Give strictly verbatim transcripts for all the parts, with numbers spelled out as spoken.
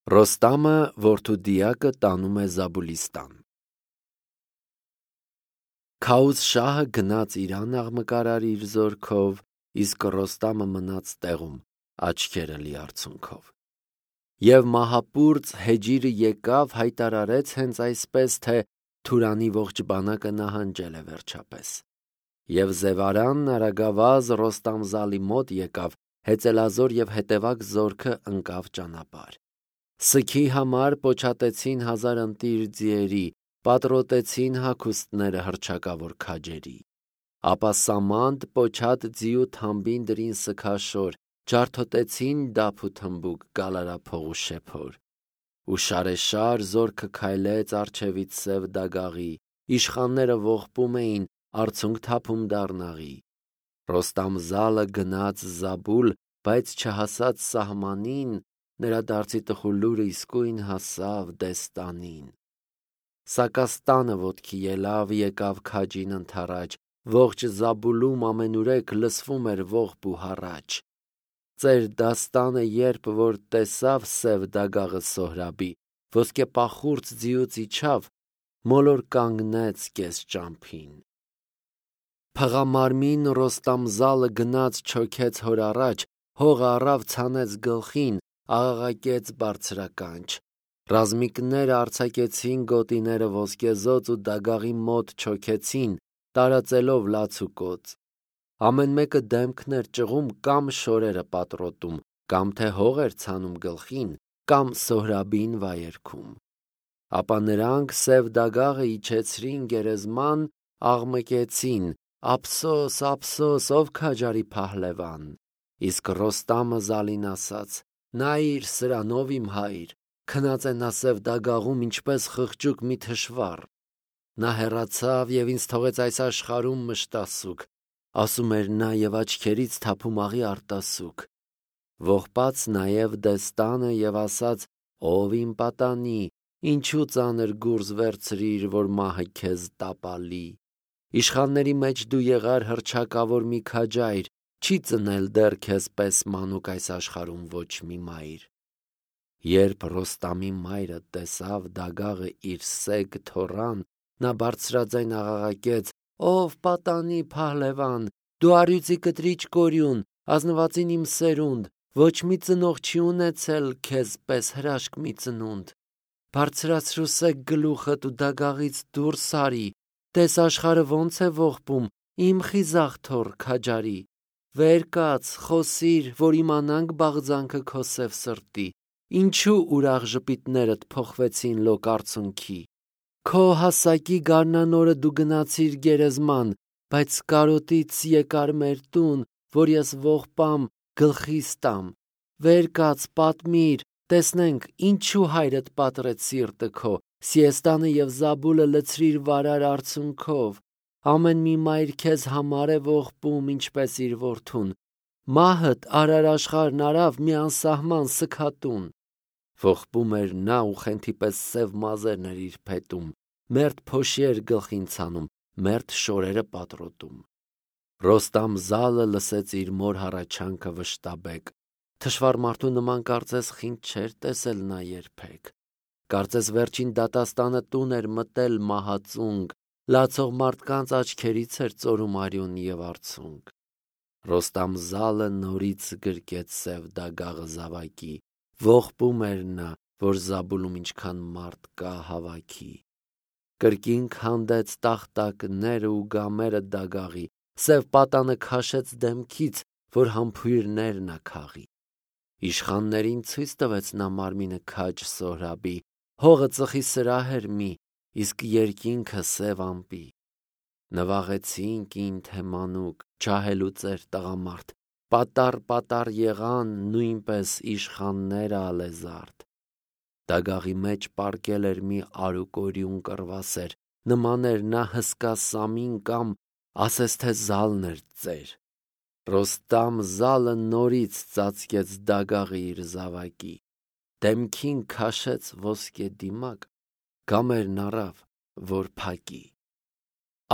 Ռոստամը որդու դիակը տանում է Զաբուլիստան։ Քաուզ շահը գնաց Իրան աղմկարար իր զորքով, իսկ Ռոստամը մնաց տեղում աչքերը լի արցունքով։ Եվ մահապուրծ Հեջիրը եկավ, հայտարարեց հենց այսպես, թե Թուրանի ողջ բանակը նահանջել է վերջապես։ Եվ Զևարանն արագավազ Ռոստամզալի մոտ եկավ, հեծելազոր և հետևակ զորքը ընկավ ճանապարհ։ Սքի համար պոչատեցին հազար ընտիր ձիերի, պատրոտեցին հագուստները հռչակավոր քաջերի։ Ապա սամանդ պոչատ ձիու թամբին դրին սքաշոր, ջարդոտեցին դափ ու թմբուկ, գալարափող ու շեփոր։ Ու շարեշար զորքը քայլեց առջևից սև դագաղի, իշխանները ողբում էին, արցունք թափում դառնաղի։ Ռոստամզալը գնաց Զաբուլ, բայց չհասած սահմանին, նրա դարձի տխուր լուրը իսկույն հասավ Դեստանին։ Սակաստանը ոտքի ելավ, եկավ քաջին ընդառաջ, ողջ Զաբուլում ամենուրեք լսվում էր ողբ ու հառաչ։ Ծեր դաստանը երբ որ տեսավ սև դագաղը Սոհրաբի, ոսկեպախուրձ ձիուց իջավ, մոլոր կանգնեց կես ճամփին։ Փղամարմին Ռոստամզալը գնաց չոքեց հոր առաջ, հողը առավ ցանեց գլխին, աղաղակեց բարձրականչ։ Ռազմիկները արձակեցին գոտիները ոսկեզոծ ու դագաղի մոտ չոքեցին, տարածելով լաց ու կոծ։ Ամեն մեկը դեմքն էր ճղում կամ շորերը պատրոտում, կամ թե հող էր ցանում գլխին, կամ Սոհրաբին վայերքում։ Ապա նրանք սև դագաղը իջեցրին գերեզման, աղմկեցին. «Ափսոս, ափսոս, ով քաջարի փահլևան»։ Իսկ Ռոստամը Զալին ասաց. «Նայիր սրանով իմ հայր, քնած է նա սև դագաղում ինչպես խղճուկ մի թշվառ։ Նա հեռացավ և ինձ թողեց այս աշխարհում մշտասուք», ասում էր նա և աչքերից թափում աղի արտասուք։ Ողբաց նաև Դեստանը և ասաց. «Ով իմ պատանի, ինչու ծանր գուրզ վերցրիր, որ մահը քեզ տապալի։ Իշխանների մեջ դու եղար հռչակավոր մի քաջայր, չի ծնել դեռ քեզ պես մանուկ այս աշխարհում ոչ մի մայր»։ Երբ Ռոստամի մայրը տեսավ դագաղը իր սեգ թոռան, նա բարձրաձայն աղաղակեց. «Ով պատանի փահլևան, դու առյուծի կտրիչ կորյուն, ազնվածին իմ սերունդ, ոչ մի ծնող չի ունեցել քեզ պես հրաշք մի ծնունդ։ Բարձրացրու սեգ գլուխդ ու դագաղից դուրս արի, տես աշխարհը ոնց է ողբում, իմ խիզախ թոռ քաջարի։ Վեր կաց, խոսիր, որ իմանանք բաղձանքը քո սև սրտի, ինչու ուրախ ժպիտներդ փոխվեցին լոկ արցունքի։ Քո հասակի գարնանորը դու գնացիր գերեզման, բայց կարոտից եկար մեր տուն, որ ես ողբամ, գլխիս տամ։ Վեր կաց, պատմիր, տեսնենք, ինչու հայրդ պատռեց սիրտը քո, Սիեստանը և Զաբուլը լցրիր վարար արցունքով։ Ամեն մի մայր քեզ համար է ողբում, ինչպես իր որդուն։ Մահդ արար աշխարհն արավ մի անսահման սգատուն։ Ողբում էր նա ու խենթի պես սև մազերն էր իր փետում, մերթ փոշի էր գլխին ցանում, մերթ շորերը պատրոտում։ Ռոստամզալը լսեց իր մոր հառաչանքը վշտաբեկ։ Թշվառ մարդու նման կարծես խինդ չէր տեսել նա երբեք։ Կարծես վերջին դատաստանը տուն էր մտել մահածունկ, լացող մարդկանց աչքերից էր ծորում արյուն և արցունք։ Ռոստամզալը նորից գրկեց սև դագաղը զավակի, ողբում էր նա, որ Զաբուլում ինչքան մարդ կա հավաքի։ Կրկին քանդեց տախտակները ու գամերը դագաղի, սև պատանը քաշեց դեմքից, որ համբույրներ նա քաղի։ Իշխաններին ցույց տվեց նա մարմինը քաջ Սոհրաբի, հողը ծխի սրահ էր մի, իսկ երկինքը սև ամպի։ Նվաղեցին կին թե մանուկ, ջահելուց էր տղամարդ, պատառ-պատառ եղան նույնպես իշխանները ալեզարդ։ Դագաղի մեջ պառկել էր մի արուկորյուն կռվասեր, նման էր նա հսկա սամին կամ ասես թե զալն էր ծեր։ Ռոստամզալը նորից ծածկեց դագաղը իր զավակի, դեմքին քաշեց ոսկե դիմակ, գամերն առավ, որ փակի։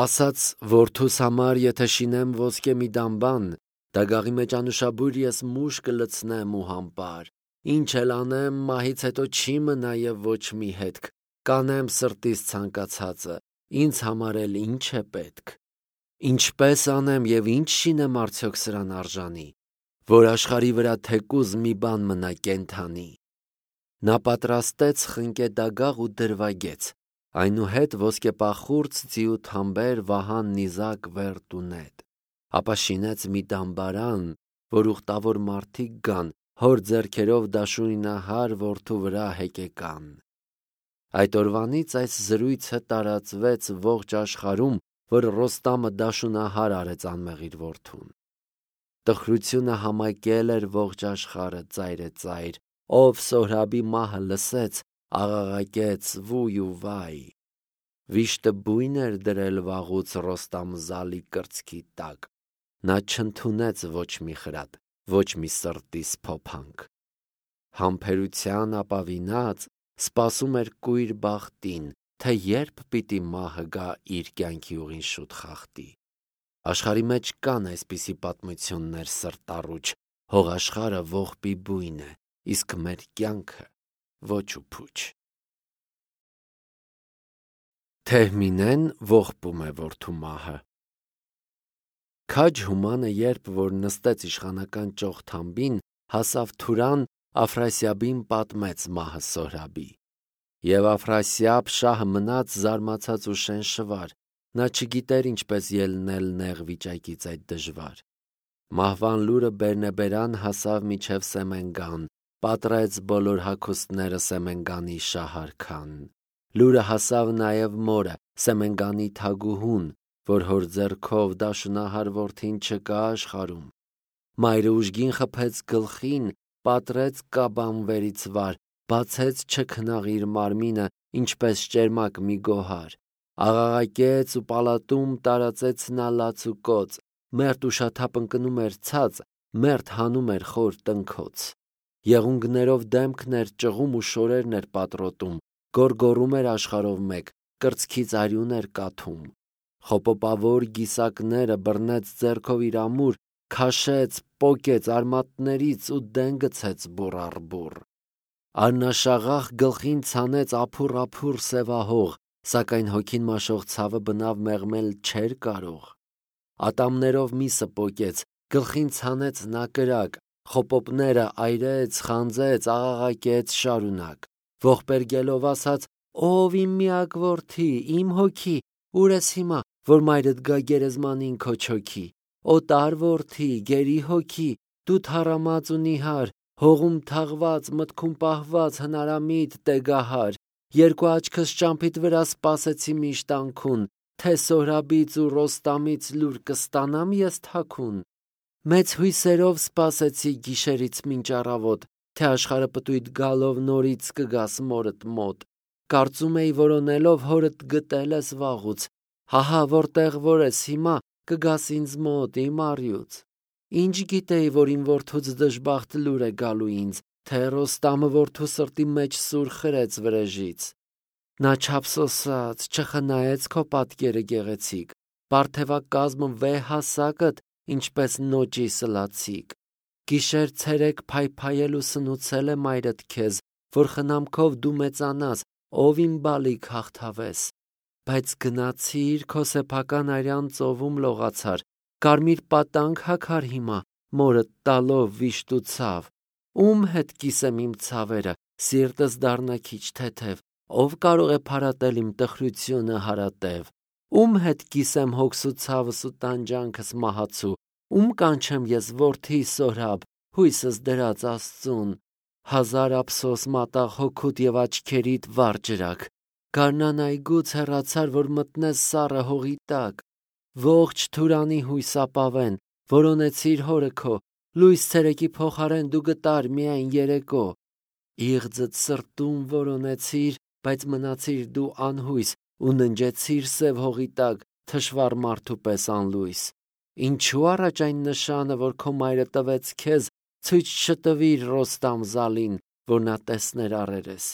Ասաց որդուս համար եթե շինեմ ոսկե մի դամբան, դագաղի մեջ անուշաբույր ես մուշ կլցնեմ ու համբար, Ինչ էլ անեմ, մահից հետո չի մնա և ոչ մի հետք, կանեմ սրտիս ցանկացածը, ինձ համար էլ ինչ է պետք։ Ինչպես անեմ և ինչ շինեմ արդյոք սրան արժանի, որ աշխարհի վրա թեկուզ մի բան մնա կենդանի։ Նա պատրաստեց խնկե դագաղ ու դրվագեց, այնուհետ ոսկեպախուրձ, ձիու թամբեր, վահան, նիզակ, վերտ ու նետ, ապա շինեց մի դամբարան, որ ուխտավոր մարդիկ գան, հոր ձեռքերով դաշույնահար որդու վրա հեկեկան։ Այդ օրվանից այս զրույցը տարածվեց ողջ աշխարհում, որ Ռոստամը դաշունահար արեց անմեղիր որդուն։ Տխրությունը համակել էր ողջ աշխարհը ծայրեծայր, ով Սոհրաբի մահը լսեց, աղաղակեց վույ ու վայ։ Վիշտը բույն էր դրել վաղուց Ռոստամ-Զալի կրծքի տակ, նա չընդունեց ոչ մի խրատ, ոչ մի սրտի սփոփանք։ Համբերության ապավինած սպասում էր կույր բախտին, թե երբ պիտի մահը գա իր կյանքի ուղին շուտ խախտի։ Աշխարհի մեջ կան այսպիսի պատմություններ սրտառուչ, հողաշխարհը ողբի բույն է, իսկ մեր կյանքը ոչ ու փուչ։ Թեհմինեն ողբում է որդու մահը։ Քաջ Հումանը, երբ որ նստեց իշխանական ճոխ թամբին, հասավ Թուրան, Աֆրասիաբին պատմեց մահը Սոհրաբի։ Եվ Աֆրասիաբ շահը մնաց զարմացած ու շենշվար, նա չգիտեր ինչպես ելնել նեղ վիճակից այդ դժվար։ Մահվան լուրը բերնեբերան հասավ մինչև Սեմենգան, պատռեց բոլոր հագուստները Սեմենգանի շահարքան։ Լուրը հասավ նաև մորը, Սեմենգանի թագուհուն, որ հոր ձեռքով դաշունահար որդին չկա աշխարհում։ Մայրը ուժգին խփեց գլխին, պատռեց կաբանվերից վար, բացեց չքնաղ իր մարմինը, ինչպես ճերմակ մի գոհար, աղաղակեց ու պալատում տարածեց նա լաց ու կոծ, մերթ ուշաթափ ընկնում էր ցած, մերթ հանում էր խոր տնքոց։ Եղունգներով դեմքն էր ճղում ու շորերն էր պատռոտում, գոռգոռում էր աշխարհով մեկ, կրծքից արյուն էր կաթում։ Խոպոպավոր գիսակները բռնեց ձեռքով իր ամուր, քաշեց, պոկեց արմատներից ու դեն գցեց բուռ առ բուռ։ Արնաշաղախ գլխին ցանեց ափուռ-ափուռ սևահող, սակայն հոգին մաշող ցավը բնավ մեղմել չէր կարող։ Ատամներով միսը պոկեց, գլխին ցանեց նա կրակ, խոպոպները այրեց, խանձեց, աղաղակեց շարունակ։ Ողբերգելով ասաց. «Ով իմ միակ որդի, իմ հոգի, ուր ես հիմա, որ մայրդ գա գերեզմանին քո չոքի։ Օտար որդի, գերի հոգի, դու թառամած ու նիհար, հողում թաղված, մտքում պահված, հնարամիտ, տեգահար, երկու աչքս ճամփիդ վրա սպասեցի միշտ անքուն, թե Սոհրաբից ու Ռոստամից լուր կստանամ ես թաքուն։ Մեծ հույսերով սպասեցի գիշերից մինչ առավոտ, թե աշխարհը պտույտ գալով նորից կգաս մորդ մոտ։ Կարծում էի որոնելով հորդ գտել ես վաղուց, հահա որտեղ որ ես հիմա, կգաս ինձ մոտ իմ առյուծ։ Ինչ գիտեի, որ իմ որդուց դժբախտ լուր է գալու ինձ, թե Ռոստամը որդու սրտի մեջ սուր խրեց վրեժից։ Նա չափսոսաց, չխնայեց քո պատկերը գեղեցիկ, պարթևակազմը վեհ հասակդ, ինչպես նոճի սլացիկ։ Գիշեր ցերեկ փայփայել ու սնուցել է մայրդ քեզ, որ խնամքով դու մեծանաս, ով իմ բալիկ հաղթավես։ Բայց գնացիր քո սեփական արյան ծովում լողացար, կարմիր պատանք հագար հիմա, մորդ տալով վիշտ ու ցավ։ Ում հետ կիսեմ իմ ցավերը, սիրտս դառնա քիչ թեթև, ով կարող է փարատել իմ տխրությունը հարատև։ Ում հետ կիսեմ հոգս ու ցավս ու տանջանքս մահացու, ում կանչեմ ես որդի Սոհրաբ, հույսս դրած Աստծուն։ Հազար ափսոս մատաղ հոգուդ և աչքերիդ վառ ջրակ, գարնան այգուց հեռացար, որ մտնես սառը հողի տակ։ Ողջ Թուրանի հույս ապավեն, որոնեցիր հորը քո, լույս ցերեկի փոխարեն դու գտար միայն երեկո։ Իղձդ սրտում որոնեցիր, բայց մնացիր դու անհույս ու ննջեցիր սև հողի տակ, թշվառ մարդու պես անլույս։ Ինչու առաջ այն նշանը, որ քո մայրը տվեց քեզ, ցույց չտվիր Ռոստամ-Զալին, որ նա տեսներ առերես։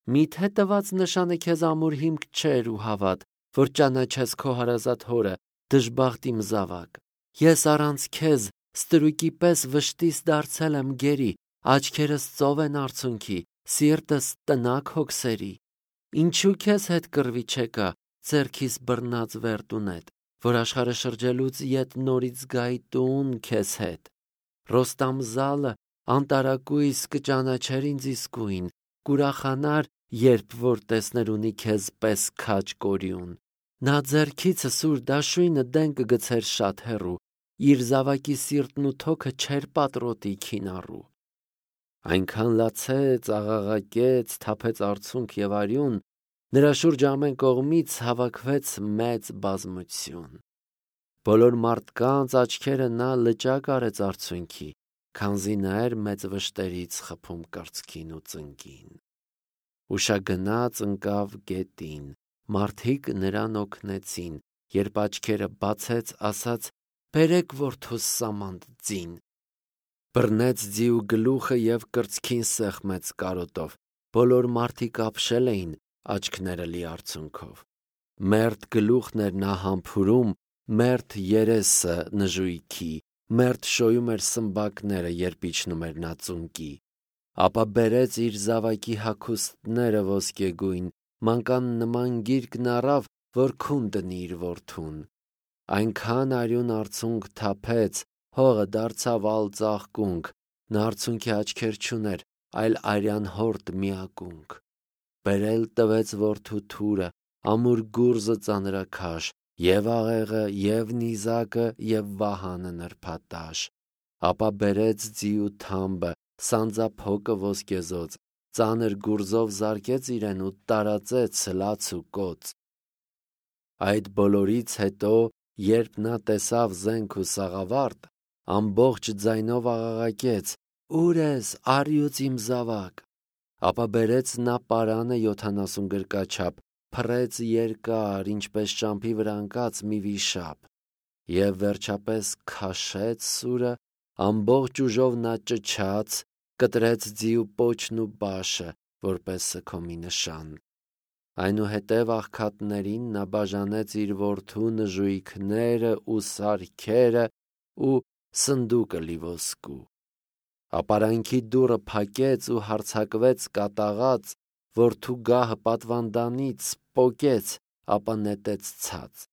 Միթե տված նշանը քեզ ամուր հիմք չէր ու հավատ, որ ճանաչես քո հարազատ հորը, դժբախտ իմ զավակ։ Ես առանց քեզ ստրուկի պես վշտիս դարձել եմ գերի, աչքերս ծով են արցունքի, սիրտս տնակ հոգսերի։ Ինչու քեզ հետ կռվի չեկա, ձեռքիս բռնած վերտունետ, որ աշխարհը շրջելուց ետ նորից գայի տուն քեզ հետ։ Ռոստամ զալը անտարակույս կճանաչեր ինձ իսկույն, կուրախանար, երբ որ տեսներ ունի քեզ պես քաջ կորյուն։ Նա ձեռքիցը սուր դաշույնը դեն կգցեր շատ հեռու, իր զավակի սիրտն ու թոքը չեր պատրոտի քինառու։ Այնքան լացեց, աղաղակեց, թափեց արցունք եւ արյուն, նրա շուրջ ամեն կողմից հավաքվեց մեծ բազմություն։ Բոլոր մարդկանց աչքերը նա լճակ արեց արցունքի, քանզի նա էր մեծ վշտերից խփում կրծքին ու ծնկին։ Ուշագնաց ընկավ գետին, մարդիկ նրան օգնեցին, երբ աչքերը բացեց, ասաց. «Բերեք որդուս սամանդ ձին»։ Բռնեց ձիու գլուխը եւ կրծքին սեղմեց կարոտով։ Բոլոր մարդիկ ապշել էին, աչքները լի արցունքով։ Մերթ գլուխն էր նա համբուրում, մերթ երեսը նժույքի, մերթ շոյում էր սմբակները, երբ իջնում էր նա ծունկի։ Ապա բերեց իր զավակի հագուստները ոսկեգույն, մանկան նման գիրկն առավ, որ քուն դնի իր որդուն։ Այնքան արյուն արցունք թափեց, հողը դարձավ ալ ծաղկունք, նա արցունքի աչքեր չուներ, այլ արյան հորդ միակունք։ Բերել տվեց որդու թուրը, ամուր գուրզը ծանրաքաշ, եւ աղեղը, եւ նիզակը, եւ վահանը նրբատաշ։ Ապա բերեց ձիու թամբը, սանձափոկը ոսկեզոծ, ծանր գուրզով զարկեց իրեն ու տարածեց լաց ու կոծ։ Այդ բոլորից հետո, երբ նա տեսավ զենք ու սաղավարտ, ամբողջ ձայնով աղաղակեց. «Ո՞ւր ես, առյուծ իմ զավակ»։ Ապա բերեց նա պարանը յոթանասուն գրկաչափ, փռեց երկար, ինչպես ճամփի վրա ընկած մի վիշապ, եւ վերջապես քաշեց սուրը, ամբողջ ուժով նա ճչաց, կտրեց ձիու պոչն ու բաշը, որպես սգոմի նշան։ Այնուհետև աղքատներին նա բաժանեց իր որդու նժույգները ու սարքերը ու սնդուկը լի ոսկու։ Ապարանքի դուռը փակեց ու հարձակվեց կատաղած, որդու գահը պատվանդանից պոկեց, ապա նետեց ցած։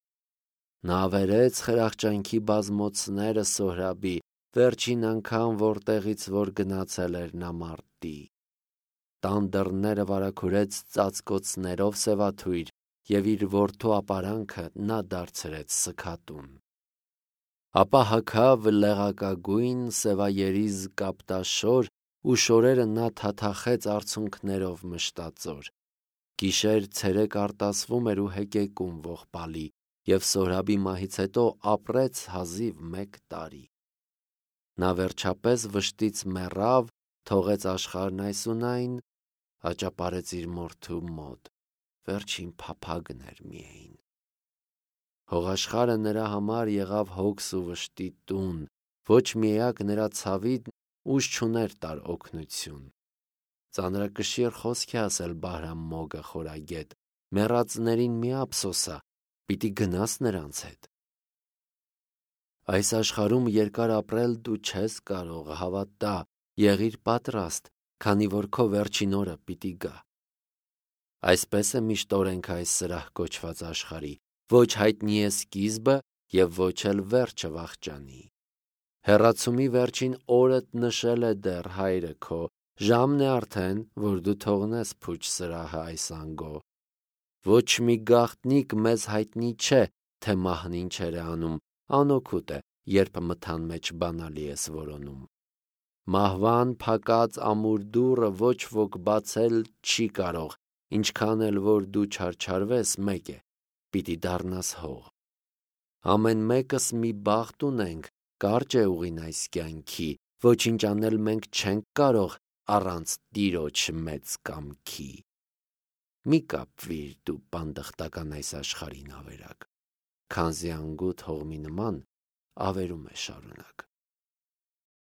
Նա ավերեց խրախճանքի բազմոցները Սոհրաբի, վերջին անգամ որտեղից որ գնացել էր նա մարտի։ Տան դռները վարագուրեց ծածկոցներով սևաթույր, եւ իր որդու ապարանքը նա դարձրեց սգատուն։ Ապա հագավ լեղակագույն սևայերիզ կապտաշոր ու շորերը նա թաթախեց արցունքներով մշտածոր։ Գիշեր ցերեկ արտասվում էր ու հեկեկում ողբալի, եւ Սոհրաբի մահից հետո ապրեց հազիվ մեկ տարի։ Նա վերջապես վշտից մեռավ, թողեց աշխարհն այսունայն, աճապարեց իր մորթու մոտ, վերջին փափագն էր միայն։ Հողաշխարհը նրա համար եղավ հոգս ու վշտի տուն, ոչ միակ նրա ցավին ուժ չուներ տար օգնություն։ Ծանրակշիռ խոսք է ասել Բահրամ Մոգը խորագետ, մեռածներին մի ափսոսա, պիտի գնաս նրանց հետ։ Այս աշխարհում երկար ապրել դու չես կարող, հավատա, եղիր պատրաստ, քանի որ քո վերջին օրը պիտի գա։ Այսպես է միշտ օրենքը այս սրահ կոչված աշխարհի, ոչ հայտնի է սկիզբը եւ ոչ էլ վերջը վախճանի։ Հեռացումի վերջին օրդ նշել է դեռ հայրը քո, ժամն է արդեն, որ դու թողնես փուչ սրահը այս անգո։ Ոչ մի գաղտնիք մեզ հայտնի չէ, թե մահն ինչեր է անում, անօգուտ է, երբ մթան մեջ բանալի ես որոնում։ Մահվան փակած ամուր դուռը ոչ ոք բացել չի կարող, ինչքան էլ որ դու չարչարվես, մեկ է, պիտի դառնաս հող։ Ամեն մեկս մի բախտ ունենք, կարճ է ուղին այս կյանքի, ոչինչ անել մենք չենք կարող առանց Տիրոջ մեծ կամքի։ Մի կապվիր դու բանդխտական այս աշխարհին ավերակ, քանզի անգութ հողմի նման ավերում է շարունակ։